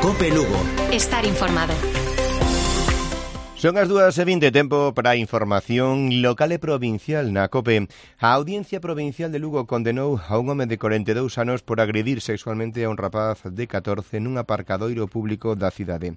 COPE Lugo. Estar informado. Son as 2:20, tempo para a información local e provincial na COPE. A Audiencia Provincial de Lugo condenou a un home de 42 anos por agredir sexualmente a un rapaz de 14 nun aparcadoiro público da cidade.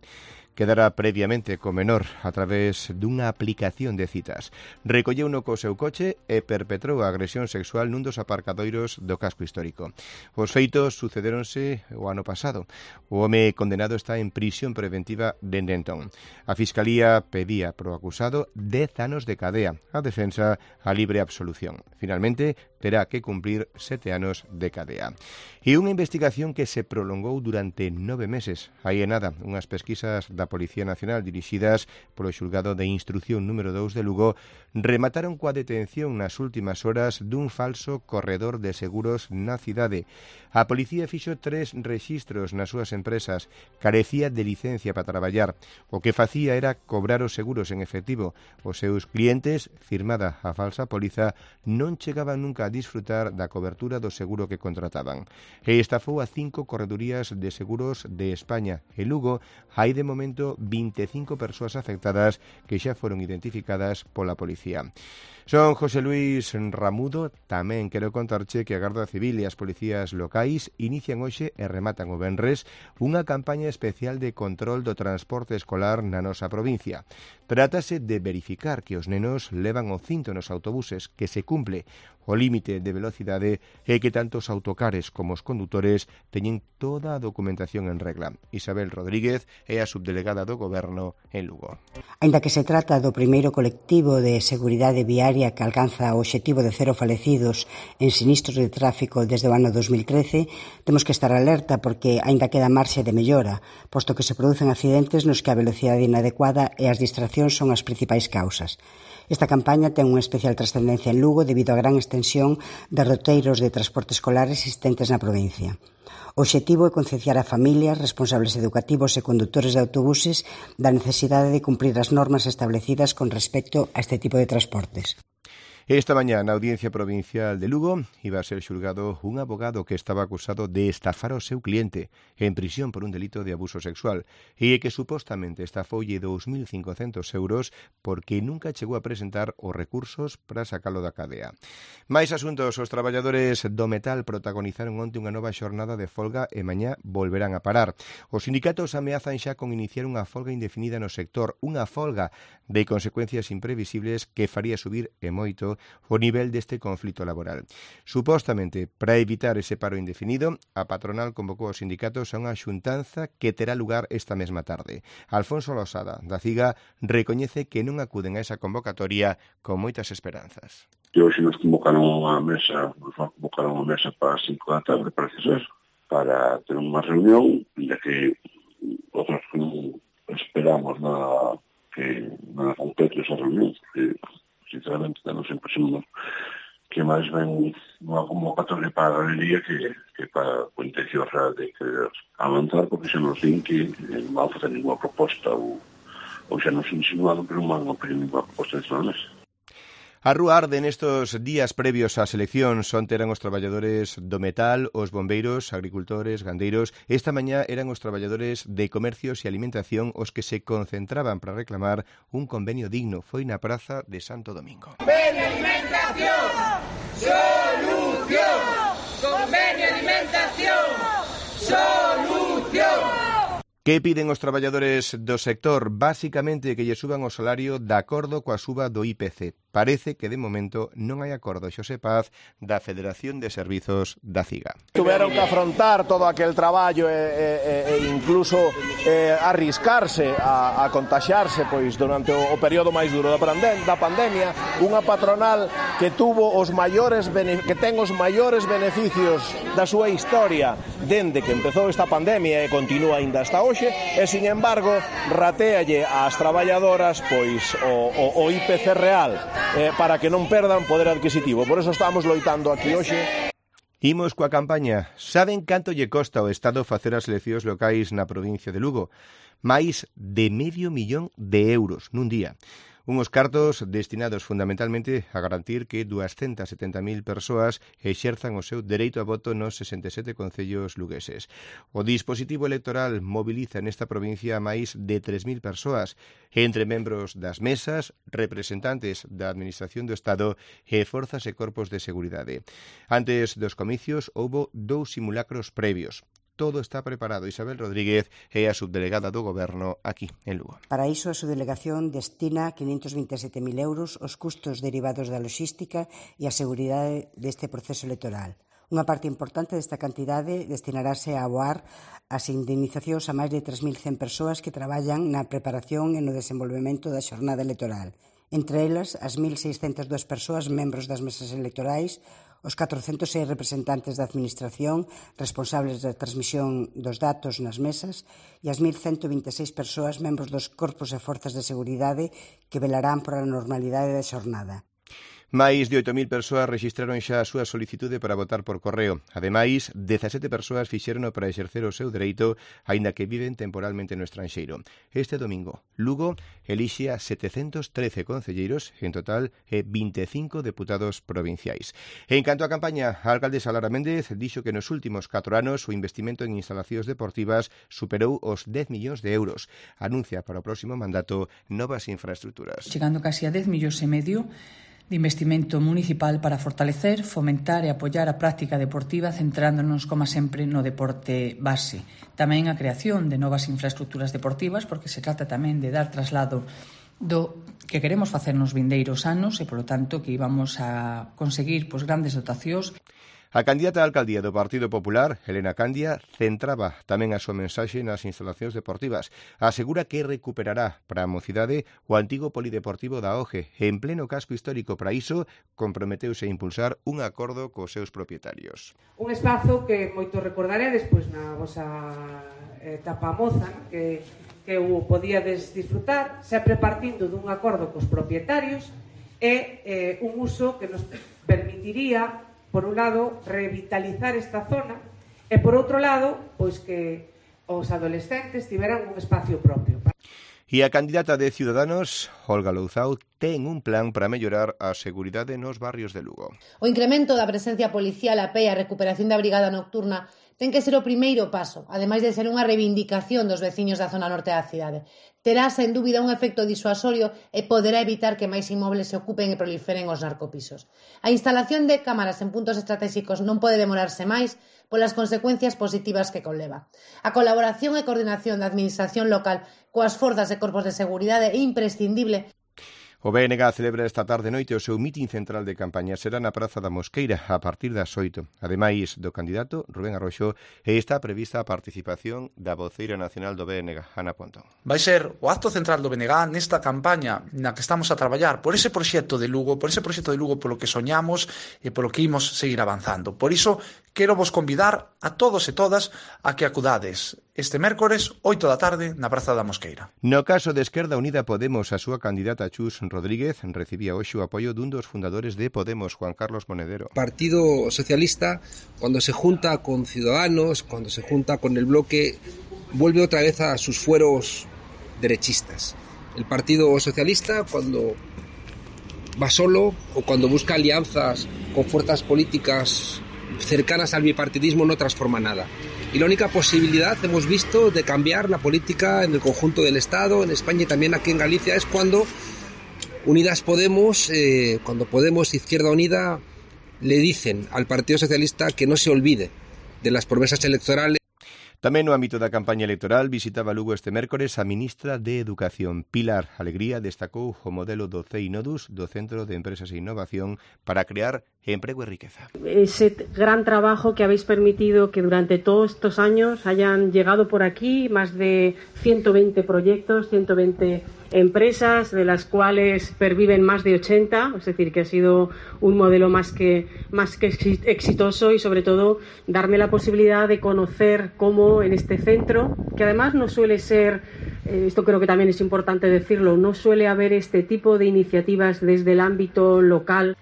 Quedara previamente co menor a través dunha aplicación de citas. Recolleuno co seu coche e perpetrou a agresión sexual nun dos aparcadoiros do casco histórico. Os feitos sucedéronse o ano pasado. O home condenado está en prisión preventiva dende entón. A Fiscalía pedía pro acusado 10 anos de cadea. A defensa a libre absolución. Finalmente, terá que cumplir 7 anos de cadea. E unha investigación que se prolongou durante 9 meses. Aí é nada, unhas pesquisas da Policía Nacional dirixidas polo Xulgado de Instrucción número 2 de Lugo remataron coa detención nas últimas horas dun falso corredor de seguros na cidade. A policía fixo 3 rexistros nas súas empresas, carecía de licencia para traballar. O que facía era cobrar os seguros en efectivo. Os seus clientes, firmada a falsa póliza, non chegaban nunca a disfrutar da cobertura do seguro que contrataban. E estafou a 5 corredurías de seguros de España. En Lugo hai de momento 25 persoas afectadas que xa foron identificadas pola policía. Son José Luis Ramudo. Tamén quero contarche que a Garda Civil e as policías locais inician hoxe e rematan o venres unha campaña especial de control do transporte escolar na nosa provincia. Trátase de verificar que os nenos levan o cinto nos autobuses, que se cumple o límite de velocidade e que tanto os autocares como os condutores teñen toda a documentación en regla. Isabel Rodríguez é a subdelegada do Goberno en Lugo. Aínda que se trata do primeiro colectivo de seguridade viaria que alcanza o obxectivo de 0 falecidos en sinistros de tráfico desde o ano 2013, temos que estar alerta porque aínda queda marxe de mellora, posto que se producen accidentes nos que a velocidade inadecuada e as distraccións son as principais causas. Esta campaña ten unha especial trascendencia en Lugo debido á gran extensión de roteiros de transporte escolar existentes na provincia. O obxectivo é concienciar a familias, responsables educativos e condutores de autobuses da necesidade de cumprir as normas establecidas con respecto a este tipo de transportes. Esta mañá na Audiencia Provincial de Lugo iba a ser xulgado un abogado que estaba acusado de estafar ao seu cliente en prisión por un delito de abuso sexual e que supostamente estafoulle 2.500 euros porque nunca chegou a presentar os recursos para sacalo da cadea. Mais asuntos, os traballadores do metal protagonizaron onte unha nova xornada de folga e mañá volverán a parar. Os sindicatos ameazan xa con iniciar unha folga indefinida no sector, unha folga de consecuencias imprevisibles que faría subir e moito o nivel deste conflito laboral. Supostamente, para evitar ese paro indefinido, a patronal convocou aos sindicatos a unha xuntanza que terá lugar esta mesma tarde. Alfonso Losada, da CIGA, recoñece que non acuden a esa convocatoria con moitas esperanzas. E hoxe nos convocaron unha mesa para as 5 da tarde, parece ser, para ter unha reunión, ya que outros non esperamos nada que nada concreto esa reunión, porque sinceramente nos impresionamos que máis ben unha convocatoria para a galería que para a intención real de querer avanzar, porque xa nos din que non van a facer ninguna proposta ou xa nos insinuaron que non van a pedir ninguna proposta de esta mesa. A rúa arde nestos días previos ás eleccións. Onte eran os traballadores do metal, os bombeiros, agricultores, gandeiros. Esta mañá eran os traballadores de comercios e alimentación os que se concentraban para reclamar un convenio digno. Foi na praza de Santo Domingo. Convenio alimentación, solución. Convenio alimentación, solución. Que piden os traballadores do sector? Básicamente que lle suban o salario de acordo coa suba do IPC. Parece que de momento non hai acordo, Xosé Paz, da Federación de Servizos da CIGA. Tuveron que afrontar todo aquel traballo e incluso arriscarse a contaxiarse pois durante o período máis duro da pandemia, unha patronal que tuvo que ten os maiores beneficios da súa historia dende que empezou esta pandemia e continúa aínda hasta hoxe, e sin embargo ratéalle ás traballadoras pois o IPC real para que non perdan poder adquisitivo. Por eso estamos loitando aquí hoxe. Imos coa campaña. Saben canto lle costa ao Estado facer as eleccións locais na provincia de Lugo? Máis de €500.000 nun día. Unhos cartos destinados fundamentalmente a garantir que 270.000 persoas exerzan o seu dereito a voto nos 67 concellos lugueses. O dispositivo electoral mobiliza nesta provincia a máis de 3.000 persoas, entre membros das mesas, representantes da Administración do Estado e forzas e corpos de seguridade. Antes dos comicios houbo 2 simulacros previos. Todo está preparado. Isabel Rodríguez é a subdelegada do Goberno aquí en Lugo. Para iso, a subdelegación destina 527.000 euros aos custos derivados da logística e a seguridade deste proceso electoral. Unha parte importante desta cantidade destinarase a aboar as indemnizacións a máis de 3.100 persoas que traballan na preparación e no desenvolvemento da xornada electoral. Entre elas, as 1.602 persoas membros das mesas electorais, os 406 representantes da Administración responsables da transmisión dos datos nas mesas e as 1.126 persoas membros dos corpos e forzas de seguridade que velarán por a normalidade da xornada. Máis de 8.000 persoas rexistraron xa a súa solicitude para votar por correo. Ademais, 17 persoas fixérono para exercer o seu dereito, aínda que viven temporalmente no estranxeiro. Este domingo, Lugo elixe a 713 concelleiros, en total 25 deputados provinciais. En canto á campaña, a alcaldesa Lara Méndez dixo que nos últimos 4 anos o investimento en instalacións deportivas superou os 10 millóns de euros. Anuncia para o próximo mandato novas infraestructuras. Chegando casi a 10,5 millóns de investimento municipal para fortalecer, fomentar e apoiar a práctica deportiva centrándonos, como sempre, no deporte base. Tamén a creación de novas infraestructuras deportivas, porque se trata tamén de dar traslado do que queremos facer nos vindeiros anos e, polo tanto, que íbamos a conseguir grandes dotacións. A candidata á alcaldía do Partido Popular, Helena Candia, centraba tamén a súa mensaxe nas instalacións deportivas. Asegura que recuperará para a mocidade o antigo polideportivo da OGE. En pleno casco histórico, para iso, comprometeuse a impulsar un acordo cos seus propietarios. Un espazo que moito recordaredes na vosa etapa moza, que o podíades disfrutar, sempre partindo dun acordo cos propietarios e un uso que nos permitiría, por un lado, revitalizar esta zona e, por outro lado, pois que os adolescentes tiveran un espacio propio. E a candidata de Ciudadanos, Olga Louzao, ten un plan para mellorar a seguridade nos barrios de Lugo. O incremento da presencia policial a pé e a recuperación da brigada nocturna ten que ser o primeiro paso, ademais de ser unha reivindicación dos veciños da zona norte da cidade. Terá, sen dúbida, un efecto disuasorio e poderá evitar que máis inmobles se ocupen e proliferen os narcopisos. A instalación de cámaras en puntos estratégicos non pode demorarse máis polas consecuencias positivas que conleva. A colaboración e coordinación da administración local coas forzas e corpos de seguridade é imprescindible. O BNG celebra esta tarde noite o seu mitin central de campaña. Será na Praza da Mosqueira a partir das 8. Ademais do candidato, Rubén Arroxo, está prevista a participación da voceira nacional do BNG, Ana Pontón. Vai ser o acto central do BNG nesta campaña na que estamos a traballar por ese proxecto de Lugo, polo que soñamos e polo que imos seguir avanzando. Por iso, quero vos convidar a todos e todas a que acudades este mércores, 8 da tarde, na Praza da Mosqueira. No caso de Esquerda Unida Podemos, a súa candidata Chus Rodríguez recibía hoxe o apoio dun dos fundadores de Podemos, Juan Carlos Monedero. El Partido Socialista, cuando se junta con Ciudadanos, cuando se junta con el bloque, vuelve otra vez a sus fueros derechistas. El Partido Socialista, cuando va solo o cuando busca alianzas con fuerzas políticas cercanas al bipartidismo, no transforma nada. Y la única posibilidad, hemos visto, de cambiar la política en el conjunto del Estado, en España y también aquí en Galicia, es cuando Unidas Podemos, cuando Podemos Izquierda Unida le dicen al Partido Socialista que no se olvide de las promesas electorales. Tamén no ámbito da campaña electoral visitaba Lugo este mércores a ministra de Educación. Pilar Alegría destacou o modelo do CEINODUS, do Centro de Empresas e Innovación, para crear empleo y riqueza. Ese gran trabajo que habéis permitido que durante todos estos años hayan llegado por aquí más de 120 proyectos, 120 empresas, de las cuales perviven más de 80, es decir, que ha sido un modelo más que exitoso y sobre todo darme la posibilidad de conocer cómo en este centro, que además no suele ser, esto creo que también es importante decirlo, no suele haber este tipo de iniciativas desde el ámbito local.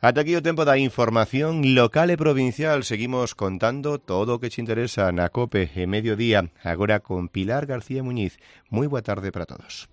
Ata aquí o tempo da información local e provincial. Seguimos contando todo o que te interesa na COPE e Mediodía, agora con Pilar García Muñiz. Moi boa tarde para todos.